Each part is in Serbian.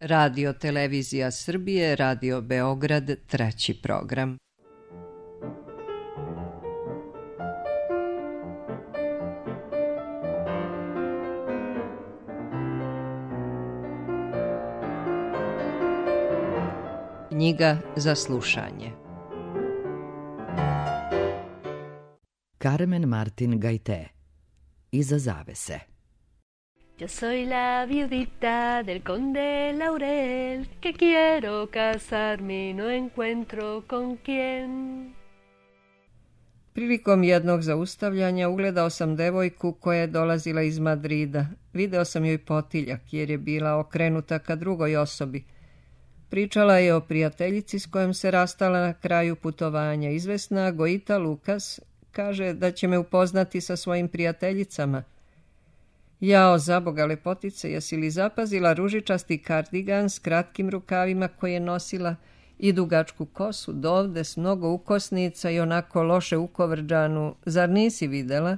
Radio Televizija Srbije, Radio Beograd, treći program. Knjiga za slušanje. Carmen Martin Gaité. Iza zavese. Yo soy la viudita del conde Laurel, que quiero casarme y no encuentro con quién. Prilikom jednog zaustavljanja ugledao sam devojku koja je dolazila iz Madrida. Video sam joj potiljak jer je bila okrenuta ka drugoj osobi. Pričala je o prijateljici s kojom se rastala na kraju putovanja. Izvesna Goita Lukas kaže da će me upoznati sa svojim prijateljicama. Jao, zaboga lepotice, jesi li zapazila ružičasti kardigan s kratkim rukavima koje je nosila i dugačku kosu dovde s mnogo ukosnica i onako loše ukovrđanu? Zar nisi videla?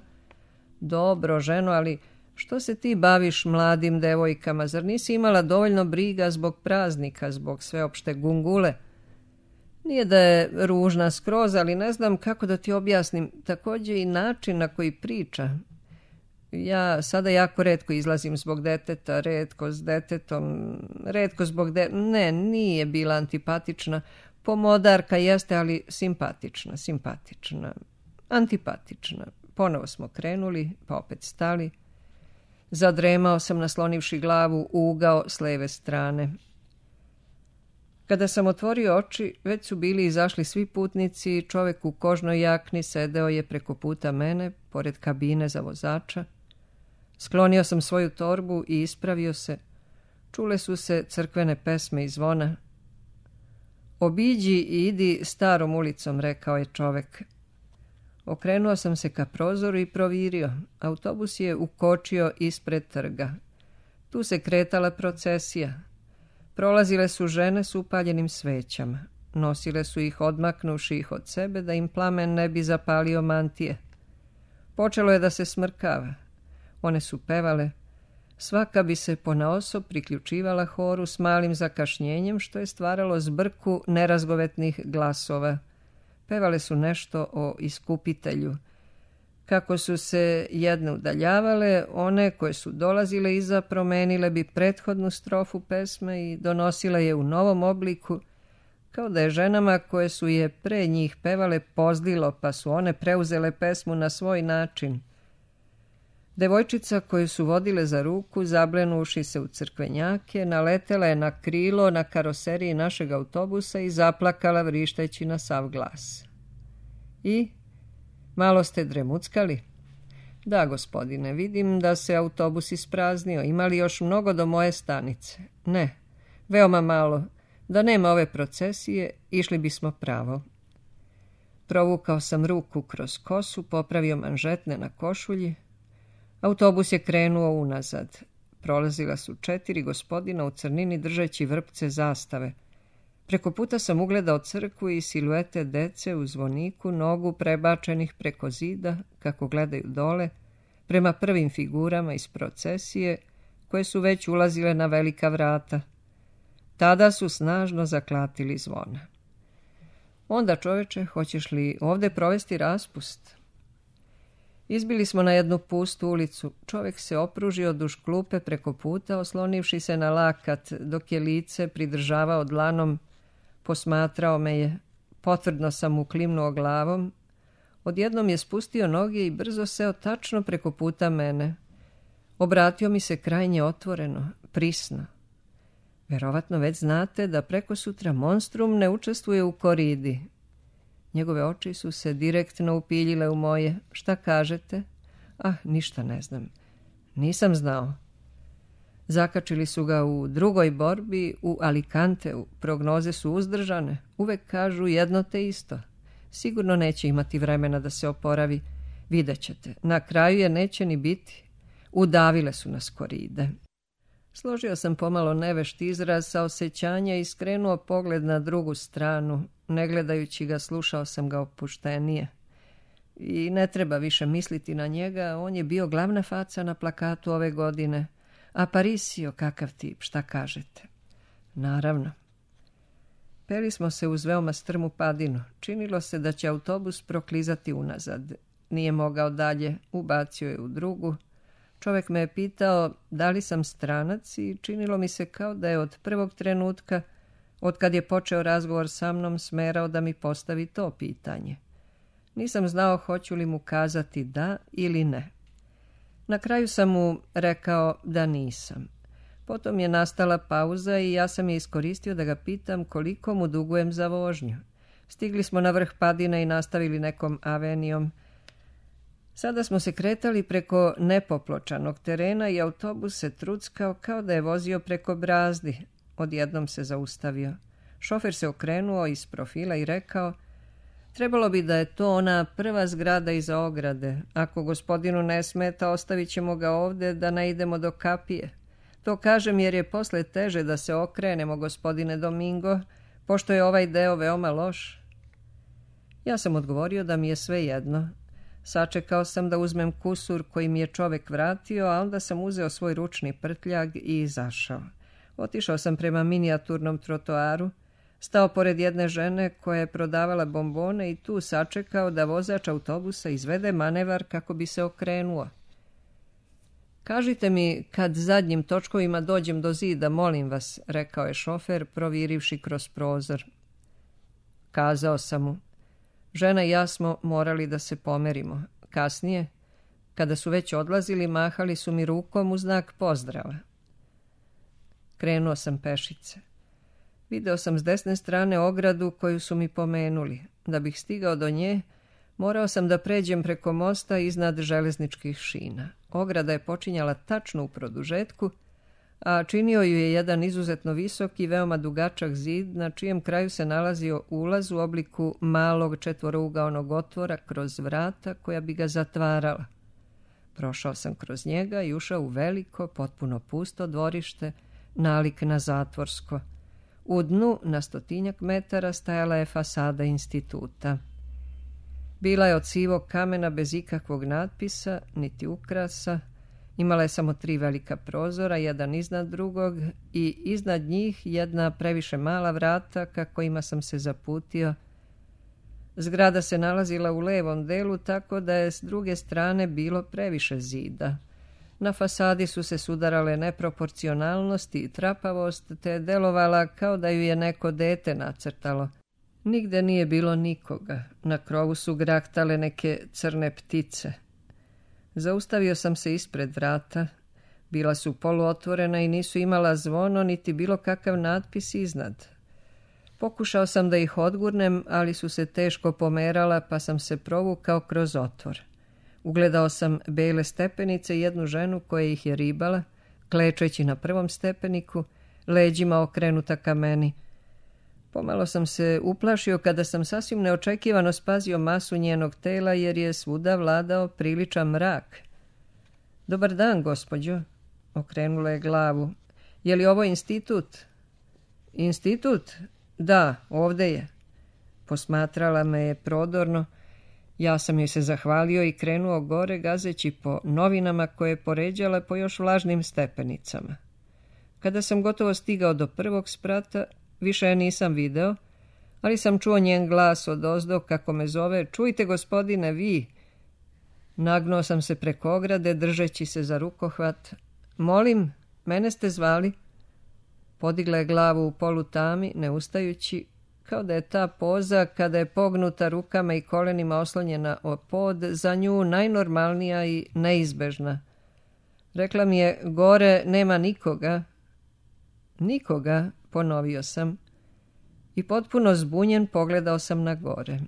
Dobro, ženo, ali što se ti baviš mladim devojkama? Zar nisi imala dovoljno briga zbog praznika, zbog sveopšte gungule? Nije da je ružna skroz, ali ne znam kako da ti objasnim. Također i način na koji priča. Ja sada jako retko izlazim zbog deteta, retko s detetom, retko zbog Ne, nije bila antipatična. Pomodarka jeste, ali simpatična. Antipatična. Ponovo smo krenuli, pa opet stali. Zadremao sam naslonivši glavu u ugao s leve strane. Kada sam otvorio oči, već su bili izašli svi putnici i čovjek u kožnoj jakni sedeo je preko puta mene, pored kabine za vozača. Sklonio sam svoju torbu i ispravio se. Čule su se crkvene pesme i zvona. Obiđi i idi starom ulicom, rekao je čovjek. Okrenuo sam se ka prozoru i provirio. Autobus je ukočio ispred trga. Tu se kretala procesija. Prolazile su žene s upaljenim svećama. Nosile su ih odmaknuši ih od sebe da im plamen ne bi zapalio mantije. Počelo je da se smrkava. One su pevale. Svaka bi se ponaosob priključivala horu s malim zakašnjenjem, što je stvaralo zbrku nerazgovetnih glasova. Pevale su nešto o iskupitelju. Kako su se jedne udaljavale, one koje su dolazile iza promenile bi prethodnu strofu pesme i donosile je u novom obliku, kao da je ženama koje su je pre njih pevale pozlilo, pa su one preuzele pesmu na svoj način. Devojčica koju su vodile za ruku, zablenuši se u crkvenjake, naletela je na krilo na karoseriji našeg autobusa i zaplakala vrišteći na sav glas. I malo ste dremuckali? Da, gospodine, vidim da se autobus ispraznio. Ima li još mnogo do moje stanice? Ne, veoma malo. Da nema ove procesije, išli bismo pravo. Provukao sam ruku kroz kosu, popravio manžetne na košulji. Autobus je krenuo unazad. Prolazila su 4 gospodina u crnini držeći vrpce zastave. Preko puta sam ugledao crkvu i siluete dece u zvoniku, nogu prebačenih preko zida, kako gledaju dole, prema prvim figurama iz procesije, koje su već ulazile na velika vrata. Tada su snažno zaklatili zvona. Onda, čoveče, hoćeš li ovde provesti raspust? Izbili smo na jednu pustu ulicu. Čovjek se opružio duž klupe preko puta, oslonivši se na lakat, dok je lice pridržavao dlanom. Posmatrao me je. Potvrdno sam mu klimnuo glavom. Odjednom je spustio noge i brzo seo tačno preko puta mene. Obratio mi se krajnje otvoreno, prisno. Verovatno već znate da preko sutra Monstrum ne učestvuje u koridi. Njegove oči su se direktno upiljile u moje. Šta kažete? Ništa ne znam. Nisam znao. Zakačili su ga u drugoj borbi u Alicanteu. Prognoze su uzdržane. Uvek kažu jedno te isto. Sigurno neće imati vremena da se oporavi. Vidjet ćete. Na kraju je neće ni biti. Udavile su nas koride. Složio sam pomalo nevešt izraz sa osjećanja i skrenuo pogled na drugu stranu. Ne gledajući ga, slušao sam ga opuštenije. I ne treba više misliti na njega, on je bio glavna faca na plakatu ove godine. Aparicio, kakav tip, šta kažete? Naravno. Peli smo se uz veoma strmu padinu. Činilo se da će autobus proklizati unazad. Nije mogao dalje, ubacio je u drugu. Čovjek me je pitao da li sam stranac i činilo mi se kao da je od prvog trenutka, od kad je počeo razgovor sa mnom, smerao da mi postavi to pitanje. Nisam znao hoću li mu kazati da ili ne. Na kraju sam mu rekao da nisam. Potom je nastala pauza i ja sam je iskoristio da ga pitam koliko mu dugujem za vožnju. Stigli smo na vrh padine i nastavili nekom avenijom. Sada smo se kretali preko nepopločanog terena i autobus se truckao kao da je vozio preko brazdi. Odjednom se zaustavio. Šofer se okrenuo iz profila i rekao: trebalo bi da je to ona prva zgrada iza ograde. Ako gospodinu ne smeta, ostavit ćemo ga ovdje da ne idemo do kapije. To kažem jer je posle teže da se okrenemo, gospodine Domingo, pošto je ovaj deo veoma loš. Ja sam odgovorio da mi je sve jedno. Sačekao sam da uzmem kusur koji mi je čovjek vratio, a onda sam uzeo svoj ručni prtljag i izašao. Otišao sam prema minijaturnom trotoaru, stao pored jedne žene koja je prodavala bombone i tu sačekao da vozač autobusa izvede manevar kako bi se okrenuo. Kažite mi kad zadnjim točkovima dođem do zida, molim vas, rekao je šofer, provirivši kroz prozor. Kazao sam mu. Žena i ja smo morali da se pomerimo. Kasnije, kada su već odlazili, mahali su mi rukom u znak pozdrava. Krenuo sam pešice. Video sam s desne strane ogradu koju su mi pomenuli. Da bih stigao do nje, morao sam da pređem preko mosta iznad železničkih šina. Ograda je počinjala tačno u produžetku, a činio ju je jedan izuzetno visok i veoma dugačak zid, na čijem kraju se nalazio ulaz u obliku malog četvorougaonog otvora kroz vrata koja bi ga zatvarala. Prošao sam kroz njega i ušao u veliko, potpuno pusto dvorište, nalik na zatvorsko. U dnu, na 100 metara, stajala je fasada instituta. Bila je od sivog kamena bez ikakvog natpisa, niti ukrasa. Imala je samo 3 velika prozora, jedan iznad drugog i iznad njih jedna previše mala vrata ka kojima sam se zaputio. Zgrada se nalazila u levom delu, tako da je s druge strane bilo previše zida. Na fasadi su se sudarale neproporcionalnost i trapavost, te je delovala kao da ju je neko dete nacrtalo. Nigde nije bilo nikoga. Na krovu su grahtale neke crne ptice. Zaustavio sam se ispred vrata. Bila su poluotvorena i nisu imala zvono, niti bilo kakav natpis iznad. Pokušao sam da ih odgurnem, ali su se teško pomerala, pa sam se provukao kroz otvor. Ugledao sam bele stepenice i jednu ženu koja ih je ribala, klečeći na prvom stepeniku, leđima okrenuta ka meni. Pomalo sam se uplašio kada sam sasvim neočekivano spazio masu njenog tela, jer je svuda vladao priličan mrak. Dobar dan, gospođo, okrenula je glavu. Je li ovo institut? Institut? Da, ovde je. Posmatrala me je prodorno. Ja sam joj se zahvalio i krenuo gore, gazeći po novinama koje je poređala po još vlažnim stepenicama. Kada sam gotovo stigao do prvog sprata, više je nisam video, ali sam čuo njen glas odozdo kako me zove: čujte, gospodine, vi. Nagnuo sam se preko ograde, držeći se za rukohvat. Molim, mene ste zvali? Podigla je glavu u polutami, ne ustajući, kao da je ta poza, kada je pognuta rukama i kolenima oslonjena o pod, za nju najnormalnija i neizbežna. Rekla mi je: gore nema nikoga. Nikoga, ponovio sam. I potpuno zbunjen pogledao sam na gore.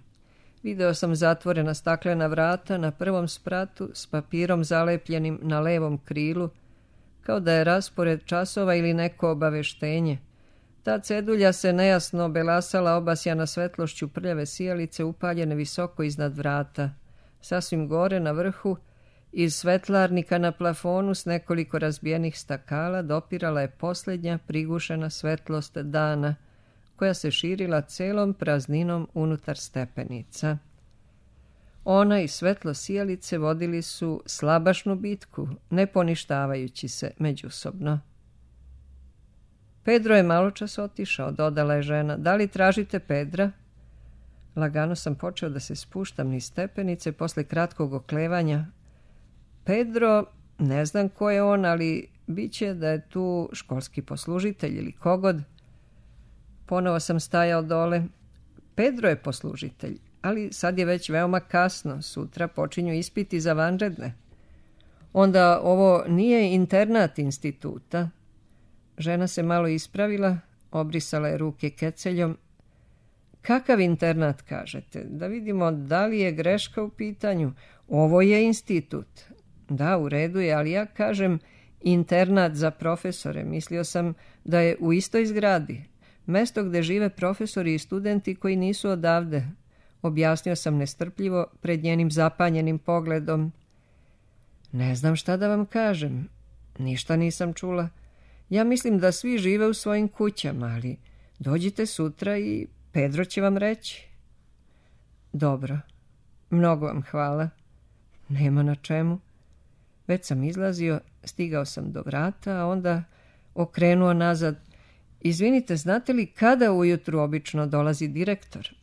Video sam zatvorena staklena vrata na prvom spratu s papirom zalepljenim na levom krilu, kao da je raspored časova ili neko obaveštenje. Ta cedulja se nejasno belasala, obasjana svetlošću prljave sijalice upaljene visoko iznad vrata. Sasvim gore na vrhu, iz svetlarnika na plafonu s nekoliko razbijenih stakala, dopirala je posljednja prigušena svetlost dana, koja se širila celom prazninom unutar stepenica. Ona i svetlo sijalice vodili su slabašnu bitku, ne poništavajući se međusobno. Pedro je maločas otišao, dodala je žena. Da li tražite Pedra? Lagano sam počeo da se spuštam niz stepenice posle kratkog oklevanja. Pedro, ne znam ko je on, ali biće da je tu školski poslužitelj ili kogod. Ponovo sam stajao dole. Pedro je poslužitelj, ali sad je već veoma kasno. Sutra počinju ispiti za vanredne. Onda ovo nije internat instituta. Žena se malo ispravila, obrisala je ruke keceljom. Kakav internat kažete? Da vidimo da li je greška u pitanju. Ovo je institut. Da, u redu je, ali ja kažem internat za profesore. Mislio sam da je u istoj zgradi. Mesto gde žive profesori i studenti koji nisu odavde. Objasnio sam nestrpljivo pred njenim zapanjenim pogledom. Ne znam šta da vam kažem. Ništa nisam čula. Ja mislim da svi žive u svojim kućama, ali dođite sutra i Pedro će vam reći. Dobro. Mnogo vam hvala. Nema na čemu. Već sam izlazio, stigao sam do vrata, a onda okrenuo nazad. Izvinite, znate li kada ujutru obično dolazi direktor?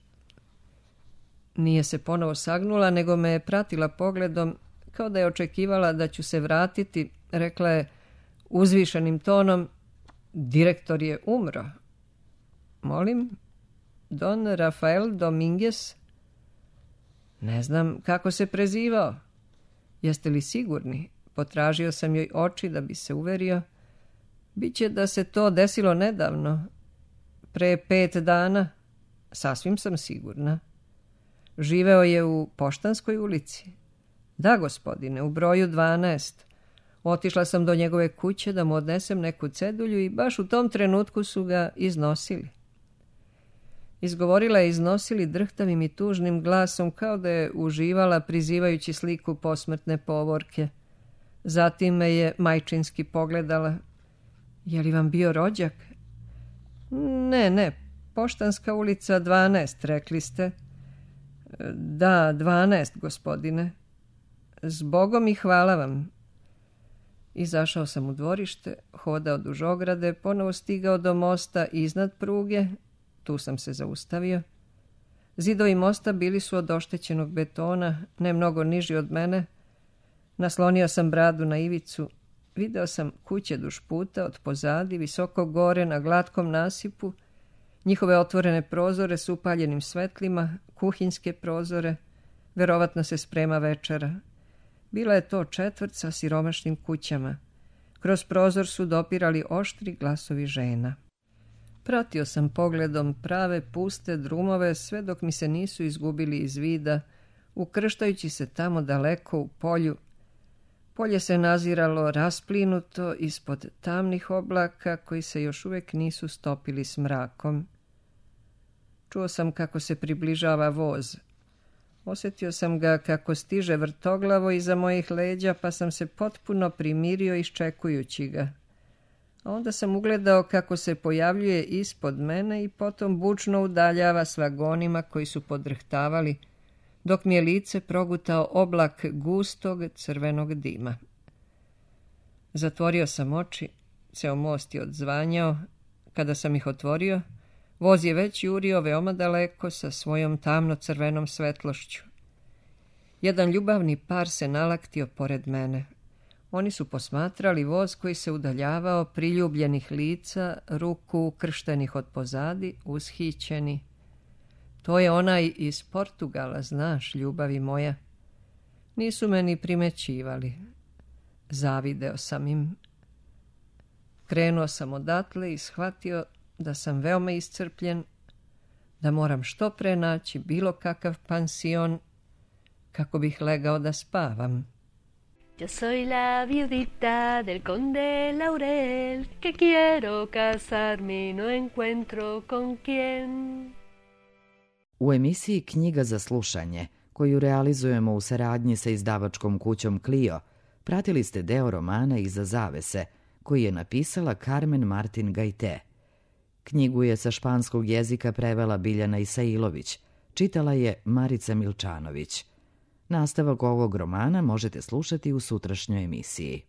Nije se ponovo sagnula, nego me je pratila pogledom, kao da je očekivala da ću se vratiti. Rekla je uzvišenim tonom, direktor je umro. Molim, Don Rafael Dominguez? Ne znam kako se prezivao. Jeste li sigurni? Potražio sam joj oči da bi se uverio. Biće da se to desilo nedavno. Pre 5 dana. Sasvim sam sigurna. Živeo je u Poštanskoj ulici. Da, gospodine, u broju 12. Otišla sam do njegove kuće da mu odnesem neku cedulju i baš u tom trenutku su ga iznosili. Izgovorila je iznosili drhtavim i tužnim glasom kao da je uživala prizivajući sliku posmrtne povorke. Zatim me je majčinski pogledala. Je li vam bio rođak? Ne, Poštanska ulica 12, rekli ste. Da, 12, gospodine. Zbogom i hvala vam. Izašao sam u dvorište, hodao duž ograde, ponovo stigao do mosta iznad pruge. Tu sam se zaustavio. Zidovi mosta bili su od oštećenog betona, ne mnogo niži od mene. Naslonio sam bradu na ivicu. Video sam kuće duž puta, od pozadi, visoko gore na glatkom nasipu, njihove otvorene prozore s upaljenim svetlima, kuhinjske prozore. Verovatno se sprema večera. Bila je to četvrt sa siromašnim kućama. Kroz prozor su dopirali oštri glasovi žena. Pratio sam pogledom prave puste drumove sve dok mi se nisu izgubili iz vida, ukrštajući se tamo daleko u polju. Polje se naziralo rasplinuto ispod tamnih oblaka koji se još uvijek nisu stopili s mrakom. Čuo sam kako se približava voz. Osjetio sam ga kako stiže vrtoglavo iza mojih leđa, pa sam se potpuno primirio iščekujući ga. A onda sam ugledao kako se pojavljuje ispod mene i potom bučno udaljava s vagonima koji su podrhtavali, dok mi je lice progutao oblak gustog crvenog dima. Zatvorio sam oči, ceo most je odzvanjao. Kada sam ih otvorio, voz je već jurio veoma daleko sa svojom tamno-crvenom svetlošću. Jedan ljubavni par se nalaktio pored mene. Oni su posmatrali voz koji se udaljavao, priljubljenih lica, ruku ukrštenih od pozadi, ushićeni. To je onaj iz Portugala, znaš, ljubavi moja. Nisu me ni primećivali. Zavideo sam im. Krenuo sam odatle i shvatio da sam veoma iscrpljen, da moram što pre naći bilo kakav pansion kako bih legao da spavam. Yo soy la viudita del conde Laurel, que quiero casarme y no encuentro con quién. U emisiji Knjiga za slušanje, koju realizujemo u saradnji sa izdavačkom kućom Clio, pratili ste deo romana Iza zavese, koji je napisala Carmen Martin Gajte. Knjigu je sa španskog jezika prevela Biljana Isailović, čitala je Marica Milčanović. Nastavak ovog romana možete slušati u sutrašnjoj emisiji.